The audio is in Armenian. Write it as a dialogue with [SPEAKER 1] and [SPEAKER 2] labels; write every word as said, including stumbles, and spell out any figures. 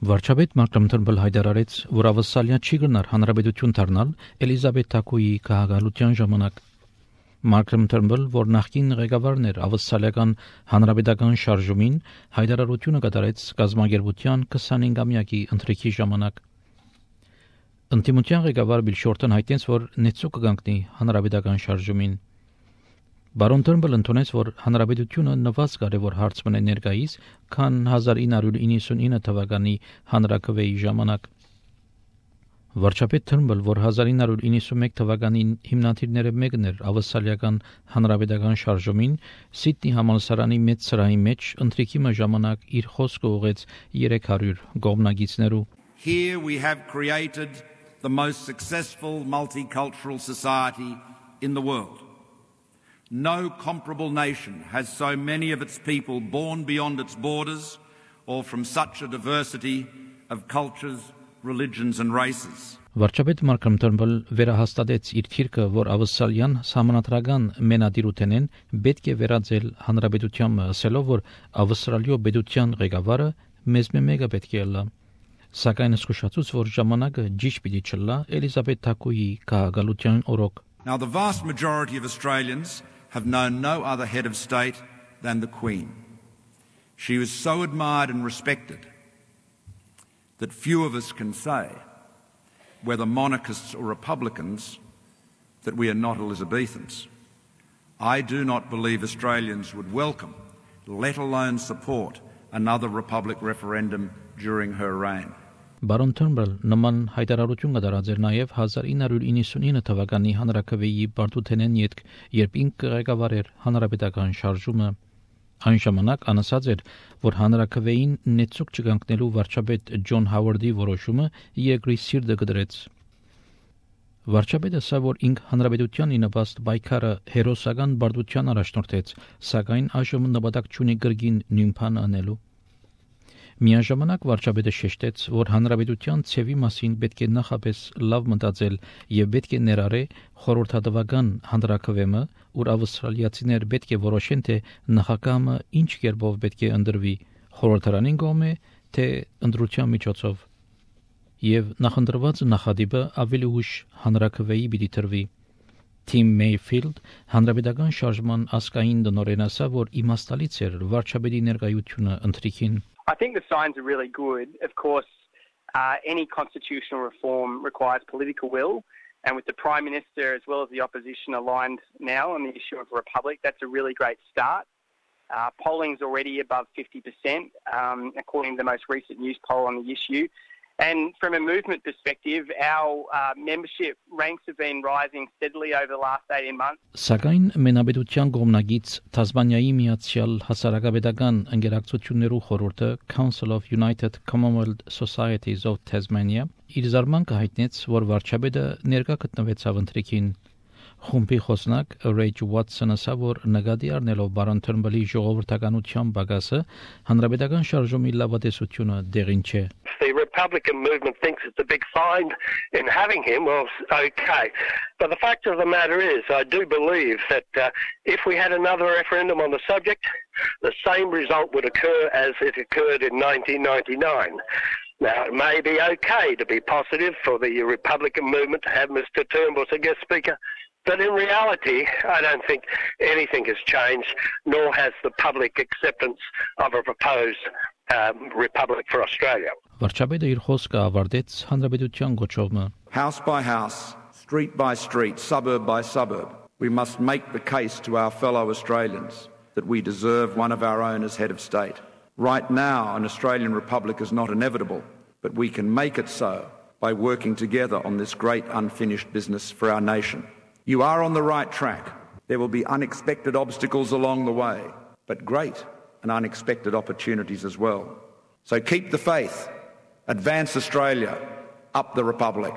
[SPEAKER 1] Վարչապետ Մարկրամ Թըրմբլ հայտարարեց, որ ավսալիա չի գնար հանրապետություն դառնալ Էլիզաբեթ Թակոյի քաղաքալության ժամանակ։ Մարկրամ Թըրմբլ, որ նախկին ղեկավարն էր ավսալիական հանրապետական շարժումին, հայտարարությունը կատարեց կազմակերպության քսանհինգամյակի ընթրիքի ժամանակ։ Ընդդիմության ղեկավար Բիլ Շորտոն հայտնեց, որ նեցու կգանքնի հանրապետական շարժումին։ Բարոն Թըրմբլը ընդունեց, որ հանրապետությունը նվազ կարևոր հարց մնե ներկայիս, քան հազար ինը հարյուր իննսունինը թվականի հանրաքվեի ժամանակ։ Վարչապետ Թըրմբլ, որ հազար ինը հարյուր իննսունմեկ թվականի հիմնադիրները մեկն էր ավսալիական հանրապետական շարժումին, Սիդնի համալսարանի մեծ սրահի մեջ ընթրիքի ժամանակ իր խոսքը ուղղեց երեք հարյուր կողմնակիցներու։
[SPEAKER 2] Here we have created the most successful multicultural society in the world. No comparable nation has so many of its people born beyond its borders or from such a diversity of cultures, religions and races.
[SPEAKER 1] Վարչապետ Մարկրամ Թըրմբլ վերահաստատեց իր թիրքը, որ ավսալյան համանատրական մենադիրութենեն պետք է վերածել հանրապետությանը, ասելով, որ ավստրալիո պետության ղեկավարը մեզ մեկը պետք է լա։ Սակայն զսկուշացուց, որ ժամանակը ճիշտ պիտի չլա Էլիզաբեթ Թակոյի քաղաքալության օրոք։
[SPEAKER 2] Now the vast majority of Australians have known no other head of state than the Queen. She was so admired and respected that few of us can say, whether monarchists or republicans, that we are not Elizabethans. I do not believe Australians would welcome, let alone support, another republic referendum during her reign.
[SPEAKER 1] Բարոն Թըրմբլ նման հայտարարություն կդարած էր նաև հազար ինը հարյուր իննսունինը թվականի հանրաքվեի բարդութենեն ետք, երբ ինքը ղեկավար էր հանրապետական շարժումը։ Այն ժամանակ անասած էր, որ հանրաքվեին նեցուկ չգանքնելու վարչապետ Ջոն Հավարդի որոշումը երկրի սիրտը կդրեց։ Վարչապետը ասա, որ ինք հանրապետության ինպաստ պայքարը հերոսական բարդության առաջնորդեց, սակայն այժմ նպատակ չունի գրգին նույն բանը անելու։ Միաժամանակ վարչապետը շեշտեց, որ հանրապետության ցևի մասին պետք է նախապես լավ մտածել եւ պետք է ներառե խորհրդատվական հանրաքվեմը, ուր ավստրալիացիներ պետք է որոշեն, թե նախագահը ինչ կերպով պետք է ընտրվի, խորհրդարանին կողմէ, թե ընտրության միջոցով։ Եվ նախընտրված նախադիպը ավելի ուշ հանրաքվեի պիտի տրվի։ Թիմ Մեյֆիլդ հանրապետական շարժման ասկային տնօրեն ասա, որ իմաստալից էր վարչապետի ներկայությունը ընթրիքին։
[SPEAKER 3] I think the signs are really good. Of course, uh, any constitutional reform requires political will, and with the Prime Minister as well as the opposition aligned now on the issue of a republic, that's a really great start. Uh, polling's already above fifty percent, um, according to the most recent news poll on the issue. And from a movement perspective, our uh, membership ranks have been rising steadily over the last eighteen months.
[SPEAKER 1] Սակայն մենաբեդության կողմնակից Թասմանիայի միացյալ հասարակապետական ընկերակցություններու խորհուրդը Council of United Commonwealth Societies of Tasmania իր զարմանքը հայտնեց, որ վարչապետը ներկա գտնվեցավ ընթրիքին։ Խումբի խոսնակ Ռեյջ Ուատսոնը ասա, որ նկատի առնելով բարոն Թըրմբլի ժողովրդականության բագասը, հանրապետական շարժումի լավատեսությունը դեղին չէ։
[SPEAKER 4] The Republican movement thinks it's a big find in having him. Well, okay. But the fact of the matter is, I do believe that uh, if we had another referendum on the subject, the same result would occur as it occurred in nineteen ninety-nine. Now, it may be okay to be positive for the Republican movement to have Mister Turnbull as a guest speaker, but in reality, I don't think anything has changed, nor has the public acceptance of a proposed um, Republic for Australia.
[SPEAKER 1] Վարչապետը իր խոսքը ավարտեց հանրապետության գոչովը.
[SPEAKER 2] House by house, street by street, suburb by suburb, we must make the case to our fellow Australians that we deserve one of our own as head of state. Right now, an Australian Republic is not inevitable, but we can make it so by working together on this great unfinished business for our nation. You are on the right track. There will be unexpected obstacles along the way, but great and unexpected opportunities as well. So keep the faith, advance Australia, up the Republic.